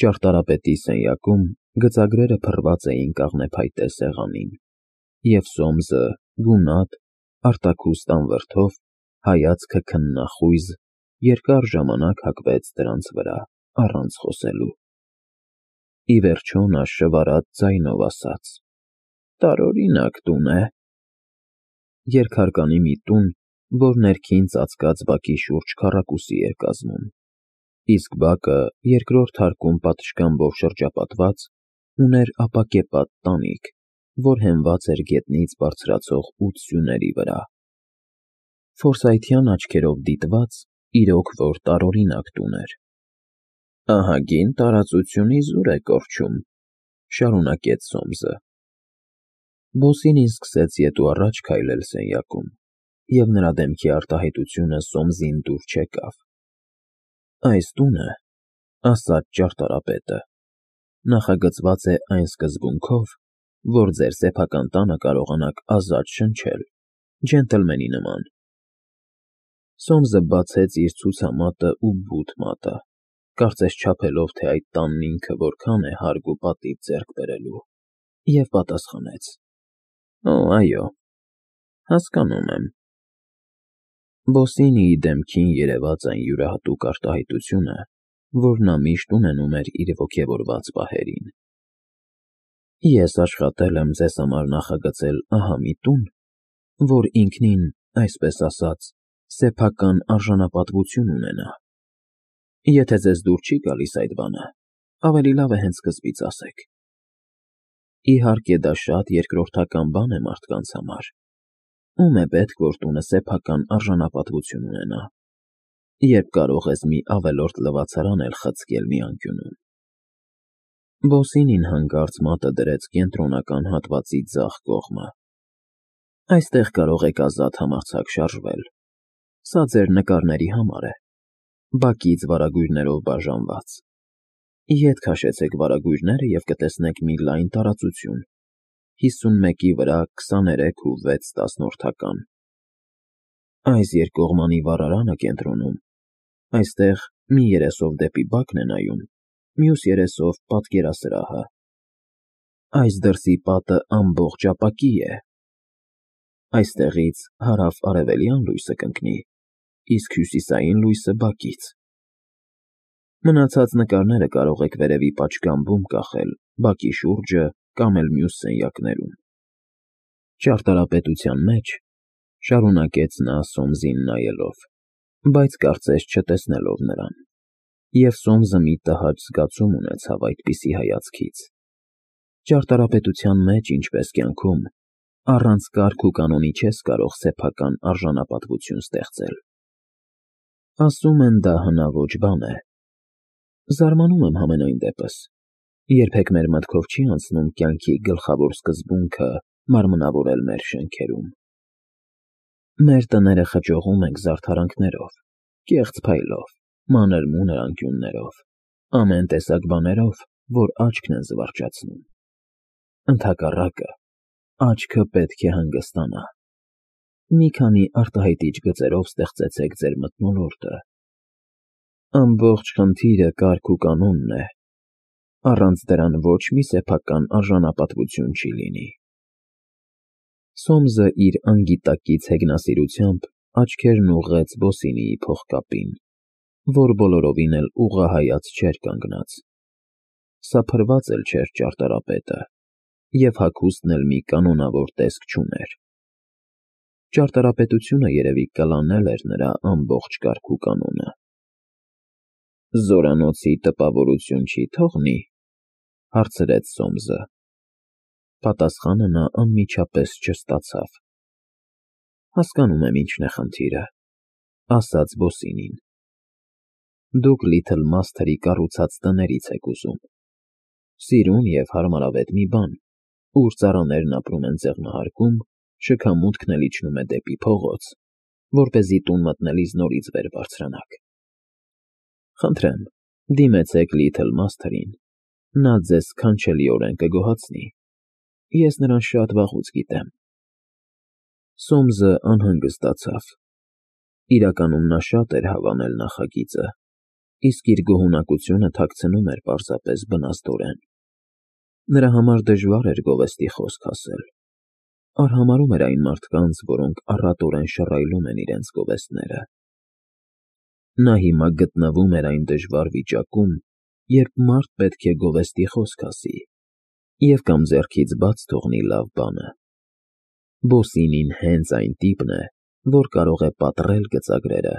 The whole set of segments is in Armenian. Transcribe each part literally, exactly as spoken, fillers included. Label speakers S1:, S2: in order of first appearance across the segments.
S1: Ճարտարապետի սենյակում գծագրերը փռված էին կաղնեփայտե սեղանին, և Սոմսը գունատ, արտաքուստ անվրդով, հայացքը քննախույզ, երկար ժամանակ հագվեց դրանց վրա, առանց խոսելու։ Ի վերջո նա շվարած ձայնով ասաց. «Տարօրինակ տուն է»։ Երկհարկանի մի տուն, որ ներքին ծածկած բակի շուրջ քառակուսի էր կազմում, իսկ բակը երկրորդ հարկում պատշգամբով շրջապատված, ուներ ապակեպատ տանիք, որ հենված էր գետնից բարձրացող ութ սյուների վրա։ Ֆորսայթյան աչքերով դիտված, իրոք որ տարօրինակ տուն էր։ «Ահագին տարածություն իզուր է կորչում», ֊ շարունակեց Սոմսը։ Բոսինին սկսեց ետ ու առաջ քայլել սենյակում, և նրա դեմքի արտահայտությունը Սոմսին դուր չեկավ։ «Այս տունը, ֊ ասաց ճարտարապետը, ֊ նախագծված է այն սկզբունքով, որ ձեր սեփական տանը կարողանաք ազատ շնչել, ջենտլմենի նման»։ Սոմսը բացեց իր ցուցամատն ու բութ մատը, կարծես չափելով, թե այդ տանն ինքը որքան է հարգ ու պատիվ ձեռք բերելու, և պատասխանեց. «Օ, այո, հասկանում եմ»։ Բոսինիի դեմքին երևաց այն յուրահատուկ արտահայտությունը, որ նա միշտ ունենում էր իր ոգևորված պահերին։ «Ես աշխատել եմ ձեզ համար նախագծել ահա մի տուն, որ ինքնին, այսպես ասած, սեփական արժանապատվություն ունենա։ Եթե ձեզ դուր չի գալիս այդ բանը, ավելի լավ է հենց սկզբից ասեք։ Իհարկե, դա շատ երկրորդական բան է մարդկանց համար. ում է պետք, որ տունը սեփական արժանապատվություն ունենա, երբ կարող ես մի ավելորդ լվացարան էլ խցկել մի անկյունում»։ Բոսինին հանկարծ մատը դրեց կենտրոնական հատվածի ձախ կողմը։ «Այստեղ կարող եք ազատ համարձակ շարժվել։ Սա ձեր նկարների համար է, բակից վարագույրներով բաժանված։ Ետ քաշեցեք վարագույրները և կտեսնեք մի լայն տարածություն, հիսունմեկի վրա քսաներեք ու վեց տասնորդական։ Այս երկկողմանի վառարանը կենտրոնում, այստեղ մի երեսով դեպի բակն է նայում, մյուս երեսով պատկերասրահը։ Այս դրսի պատը ամբողջ ապակի է։ Այստեղից հարավ֊արևելյան լույսը կընկնի, իսկ հյուսիսային լույսը բակից։ Մնացած նկարները կարող եք վերևի պատշգամբում կախել, բակի շուրջը կամ էլ մյուս սենյակներում»։ Ճարտարապետության մեջ, ֊ շարունակեց նա Սոմսին նայելով, բայց կարծես չտեսնելով նրան, և Սոմսը մի տհաճ զգացում ունեցավ այդպիսի հայացքից, ճարտարապետության մեջ, ինչպես կյանքում, առանց կարգ ու կանոնի չես կարող սեփական արժանապատվություն ստեղծել։ Ասում են, դա հնաոճ բան է։ Զարմանում եմ համենայն դեպս, երբեք մեր մտքով չի անցնում կյանքի գլխավոր սկզբունքը մարմնավորել մեր շենքերում։ Մեր տները խճողում ենք զարդարանքներով, կեղծ փայլով, մանր-մունր անկյուններով, ամեն տեսակ բաներով, որ աչքն են զվարճացնում։ Ընդհակառակը, աչքը պետք է հանգստանա։ Մի քանի արտահայտիչ գծերով ստեղծեցեք ձեր մթնոլորտը։ Ամբողջ խնդիրը կարգ ու կանոնն է, առանց դրան ոչ մի սեփական արժանապատվություն չի լինի։ Սոմսը իր անգիտակից հեգնասիրությամբ աչքերն ուղղեց Բոսինիի փողկապին, որ բոլորովին էլ ուղղահայաց չէր կանգնած։ Սա փրված էլ չէր ճարտարապետը, և հագուստն էլ մի կանոնավոր տեսք չուներ։ Ճարտարապետությունը երևի կլանել էր նրա ամբողջ կարգ ու կանոնը։ «Զորանոցի տպավորություն չի թողնի, ֊ հարցրեց Սոմսը։ Պատասխանը նա անմիջապես չստացավ։ «Հասկանում եմ ինչն է խնդիրը», ֊ ասաց Բոսինին։ «Դուք Լիթլ Մասթերի կառուցած տներից եք ուզում։ Սիրուն և հարմարավետ մի բան, ուր ծառաներն ապրում են ձեղնահարկում, շքամուտքն էլ իջնում է դեպի փողոց, որպեսզի տուն մտնելիս նորից վեր բարձրանաք։ Խնդրեմ, դիմեցեք Լիթլ Մասթերին, նա ձեզ սքանչելիորեն կգոհացնի։ Ես նրան շատ վաղուց գիտեմ»։ Սոմսը անհանգստացավ։ Իրականում նա շատ էր հավանել նախագիծը, իսկ իր գոհունակությունը թաքցնում էր պարզապես բնաստորեն։ Նրա համար դժվար էր գովեստի խոսք ասել, արհամարհում էր այն մարդկանց, որոնք առատորեն շռայլում են իրենց գովեստները։ Նա հիմա գտնվում էր այն դժվար վիճակում, երբ մարդ պետք է գովեստի խոսք ասի և կամ ձեռքից բաց թողնի լավ բանը։ Բոսինին հենց այն տիպն է, որ կարող է պատռել գծագրերը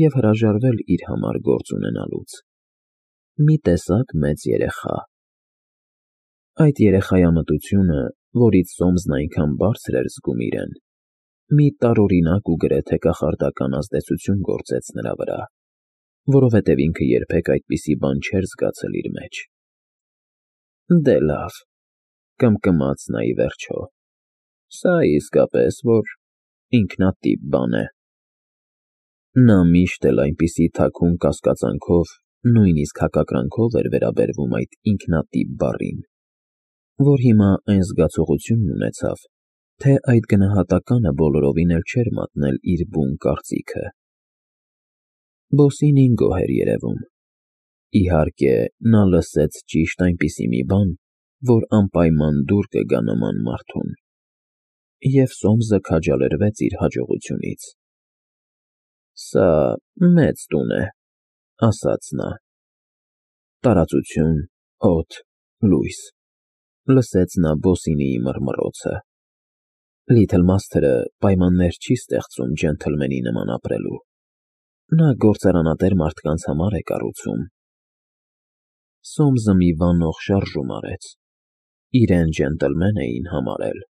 S1: և հրաժարվել իր համար գործ ունենալուց։ Մի տեսակ մեծ երեխա։ Այդ երեխայամտությունը, որից Սոմսն այնքան բարձր էր զգում իրեն, մի տարօրինակ ու գրեթե կախարդական ազդեցություն գործեց նրա վրա, որովհետև ինքը երբեք այդպիսի բան չէր զգացել իր մեջ։ Դե լավ, կմկմաց նա ի վերջո, սա իսկապես որ ինքնատիպ բան է։ Նա միշտ էլ այնպիսի թաքուն կասկածանքով, նույնիսկ հակակրանքով էր վերաբերվում այդ ինքնատիպ բառին, որ հիմա այն զգացողությունն ունեցավ, թե այդ գնահատականը բոլորովին էլ չէր մատնել իր բուն կարծիքը։ Բոսինին գոհ էր երևում։ Իհարկե, նա լսեց ճիշտ այնպիսի մի բան, որ անպայման դուր կգա նման մարդուն, և Սոմսը քաջալերվեց իր հաջողությունից։ Սա մեծ տուն է, ասաց նա։ Տարածություն, օդ, լույս, լսեց նա Բոսինիի մռմռոցը։ Լիթլմասթերը պայմաններ չի ստեղծում ջենթլմենի նման ապրելու։ Նա գործարանատեր մարդկանց համար է կառուցում։ Սոմսը մի վանող շարժում արեց։ Իրեն ջենտլմեն էին համարել,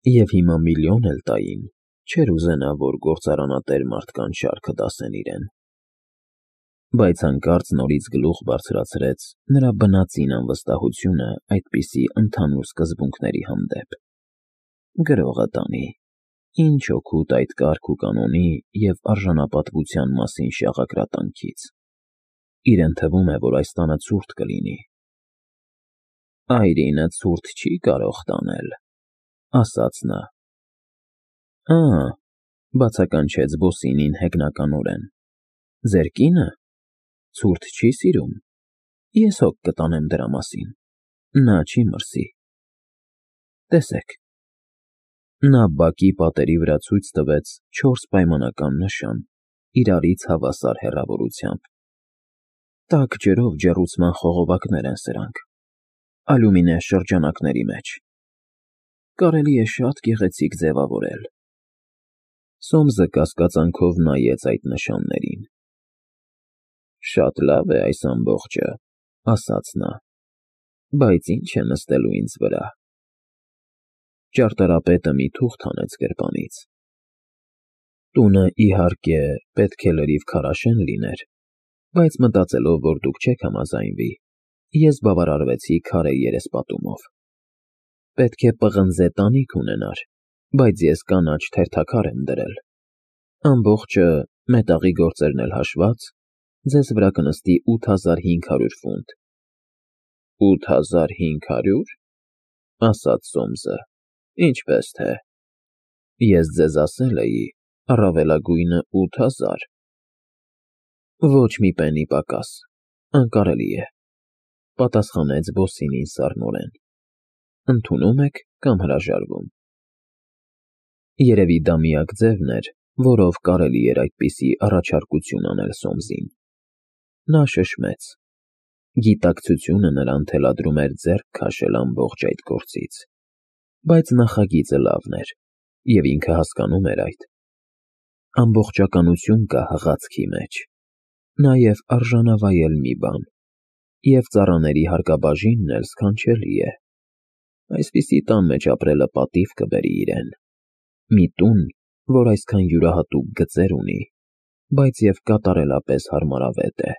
S1: և հիմա միլիոն էլ տային, չէր ուզենա, որ գործարանատեր մարդկանց շարքը դասեն իրեն։ Բայց հանկարծ նորից գլուխ բարձրացրեց նրա բնածին անվստահությունը այդպիսի ընդհանուր սկզբունքների հանդեպ։ Գրողը տանի, ինչ օգուտ այդ կարգ ու կանոնի և արժանապատվության մասին շաղակրատանքից։ Իրեն թվում է, որ այս տանը ցուրտ կլինի։ Այրինը ցուրտ չի կարող տանել, ասաց նա։ Ա, բացականչեց Բոսինին հեգնականորեն, ձեր կինը ցուրտ չի սիրում։ Ես հոգ կտանեմ դրա մասին, նա չի մրսի։ Տեսեք։ Նա բակի պատերի վրա ցույց տվեց չորս պայմանական նշան, իրարից հավասար հեռավորությամբ։ Տաք ջրով ջեռուցման խողովակներ են սրանք, ալյումինե շրջանակների մեջ։ Կարելի է շատ գեղեցիկ ձևավորել։ Սոմսը կասկածանքով նայեց այդ նշաններին։ Շատ լավ է այս ամբողջը, ասաց նա, բայց ինչ է նստելու ինձ վրա։ Ճարտարապետը մի թուղթ հանեց գրպանից։ Տունը, իհարկե, պետք է լրիվ քարաշեն լիներ, բայց մտածելով, որ դուք չեք համաձայնվի, ես բավարարվեցի քարե երեսպատումով։ Պետք է պղնձե տանիք ունենար, բայց ես կանաչ թերթաքար եմ դրել։ Ամբողջը, մետաղի գործերն էլ հաշված, ձեզ վրա կնստի ութ հազար հինգ հարյուր ֆունտ։ Ութ հազար հինգ հարյու՞ր, ասաց Սոմսը, ինչպես թե։ Ես ձեզ ասել էի, առավելագույնը ութ հազար։ Ոչ մի պենի պակաս, անկարելի է, պատասխանեց Բոսինին սառնորեն։ Ընդունում եք կամ հրաժարվում։ Երևի դա միակ ձևն էր, որով կարելի էր այդպիսի առաջարկություն անել Սոմսին։ Նա շշմեց։ Գիտակցությունը նրան թելադրում էր ձեռք քաշել ամբողջ այդ գործից։ Բայց նախագիծը լավն էր, և ինքը հասկանում էր այդ։ Ամբողջականություն կա հղացքի մեջ, նաև արժանավայել մի բան, և ծառաների հարկաբաժինն էլ սքանչելի է։ Այսպիսի տան մեջ ապրելը պատիվ կբերի իրեն։ Մի տուն, որ այսքան յուրահատուկ գծեր ունի, բայց և կատարելապես հարմարավետ է։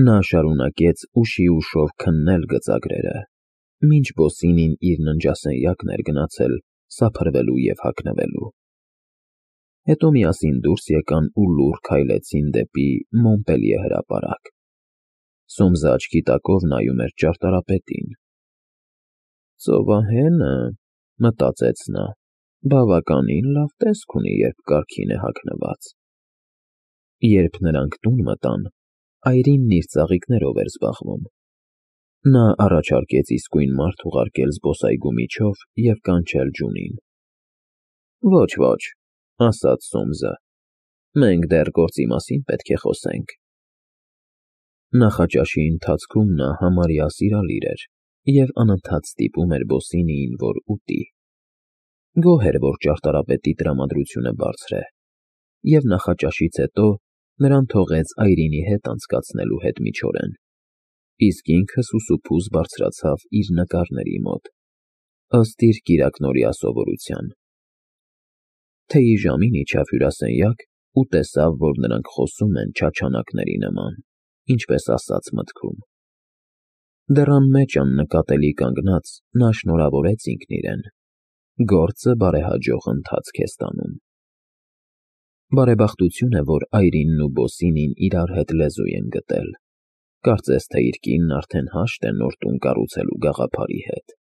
S1: Նա շարունակեց ուշի ուշով քննել գծագրերը, մինչ Բոսինին իր ննջասենյակն էր գնացել սափրվելու և հագնվելու։ Հետո միասին դուրս եկան ու լուռ քայլեցին դեպի Մոնպելիե հրապարակ։ Սոմսը աչքի տակով նայում էր ճարտարապետին։ Ծովահենը, մտածեց նա, բավականին լավ տեսք ունի, երբ կարգին է հագնված։ Երբ նրանք տուն մտան, Այրինն իր ծաղիկներով էր զբաղվում։ Նա առաջարկեց իսկույն մարդ ուղարկել զբոսայգու միջով և կանչել Ջունին։ Ոչ, ոչ, ասաց Սոմսը, մենք դեռ գործի մասին պետք է խոսենք։ Նախաճաշի ընթացքում նա համարյա սիրալիր էր և անընդհատ ստիպում էր Բոսինիին, որ ուտի։ Գոհ էր, որ ճարտարապետի տրամադրությունը բարձր է, և նախաճաշից հետո նրան թողեց Այրինի հետ անցկացնելու հետմիջօրեն, իսկ ինքը սուսուփուզ բարձրացավ իր նկարների մոտ, ըստ իր կիրակնօրյա սովորության։ Թեյի ժամին իջավ հյուրասենյակ ու տեսավ, որ նրանք խոսում են չաչանակների նման, ինչպես ասած մտքում։ Դեռ անմեջ աննկատելի կանգնած նա շնորհավորեց ինքն իրեն. գործը բարեհաջող ընթացք է ստանում։ Բարեբախտություն է, որ Այրինն ու Բոսինին իրար հետ լեզու են գտել, կարծես թե իր կինն արդեն հաշտ է նոր տուն կառուցելու գաղափարի հետ։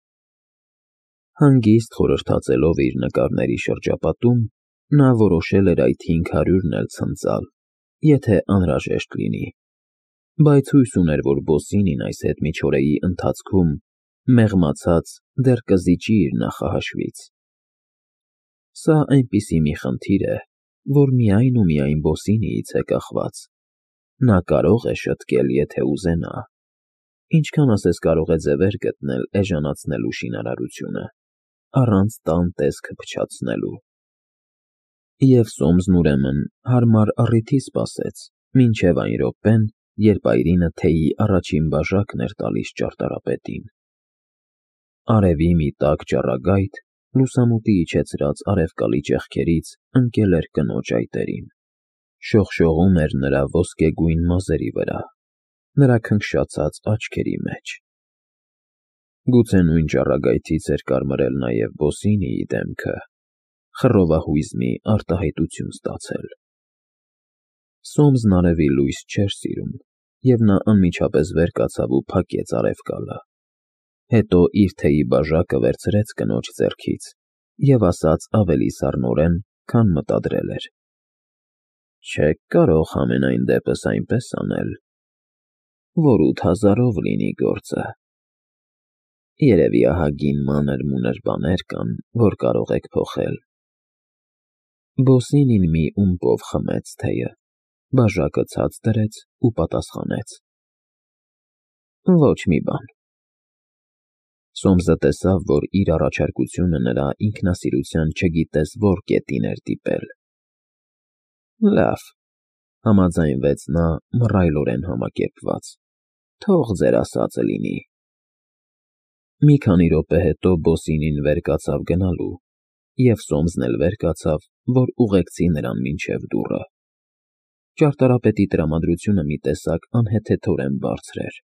S1: Հանգիստ խորհրդածելով իր նկարների շրջապատում, նա որոշել էր այդ հինգ հարյուրն էլ ցնծալ, եթե անհրաժեշտ լինի, բայց հույս ուներ, որ Բոսինին այս հետմիջօրեի ընթացքում, մեղմացած, դեռ կզիջի իր նախահաշվից։ Սա այնպիսի մի խնդիր է, որ միայն ու միայն Բոսինիից է կախված։ Նա կարող է շտկել, եթե ուզենա, ինչքան ասես կարող է ձևեր գտնել էժանացնելու շինարարությունը, առանց տան տեսքը փչացնելու։ Եվ Սոմսն ուրեմն հարմար առիթի սպասեց, մինչև այն րոպեն, երբ Այրինը թեյի առաջին բաժակն էր տալիս ճարտարապետին։ Արևի մի տաք ճառագայթ, լուսամուտի իջեցրած արևկալի ճեղքերից ընկել էր կնոջ այտերին, շողշողում էր նրա ոսկեգույն մազերի վրա, նրա քնքշացած աչքերի մեջ։ Գուցե նույն ճառագայթից էր կարմրել նաև Բոսինիի դեմքը, խռովահույզ մի արտահայտություն ստացել։ Սոմսն արևի լույս չէր սիրում, և նա անմիջապես վեր կացավ ու փակեց առևկալը, հետո իր թեյի բաժակը վերցրեց կնոջ ձեռքից և ասաց ավելի սառնորեն, քան մտադրել էր. Չեք կարող համենայն դեպս այնպես անել, որ ութ հազարով լինի գործը։ Երևի ահագին մանր֊մունր բաներ կան, որ կարող եք փոխել։ Բոսինին մի ումպով խմեց թեյը, բաժակը ցած դրեց ու պատասխանեց. Ոչ մի բան։ Սոմսը տեսավ, որ իր առաջարկությունը նրա ինքնասիրության չգիտես որ կետին էր դիպել։ Լավ, համաձայնվեց նա մռայլորեն համակերպված, թող ձեր ասածը լինի։ Մի քանի րոպե հետո Բոսինին վեր կացավ գնալու, և Սոմսն էլ վեր կացավ, որ ուղեկցի նրան մինչև դուռը։ Ճարտարապետի տրամադրությունը մի տեսակ անհեթեթորեն բարձր էր։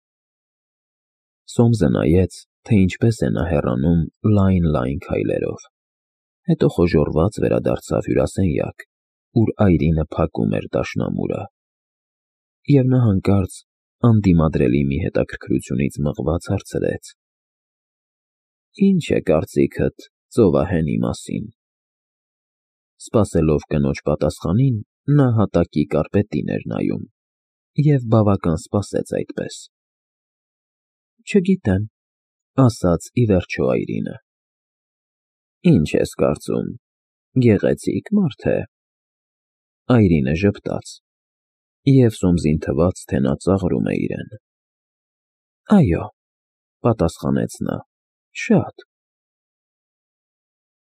S1: Սոմսը նայեց, թե ինչպես է նա հեռանում լայն֊լայն քայլերով, հետո խոժոռված վերադարձավ հյուրասենյակ, ուր Այրինը փակում էր դաշնամուրը, և նա հանկարծ անդիմադրելի մի հետաքրքրությունից մղված հարցրեց. Ի՞նչ է կարծիքդ ծովահենի մասին։ Սպասելով կնոջ պատասխանին, նա հատակի կարպետին էր նայում և բավական սպասեց այդպես։ Չգիտեմ, ասաց ի վերջո Այրինը։ Ինչ ես կարծում, գեղեցի՞կ մարդ է։ Այրինը ժպտաց, և Սոմսին թվաց, թե նա ծաղրում է իրեն։ Այո, պատասխանեց նա, շատ։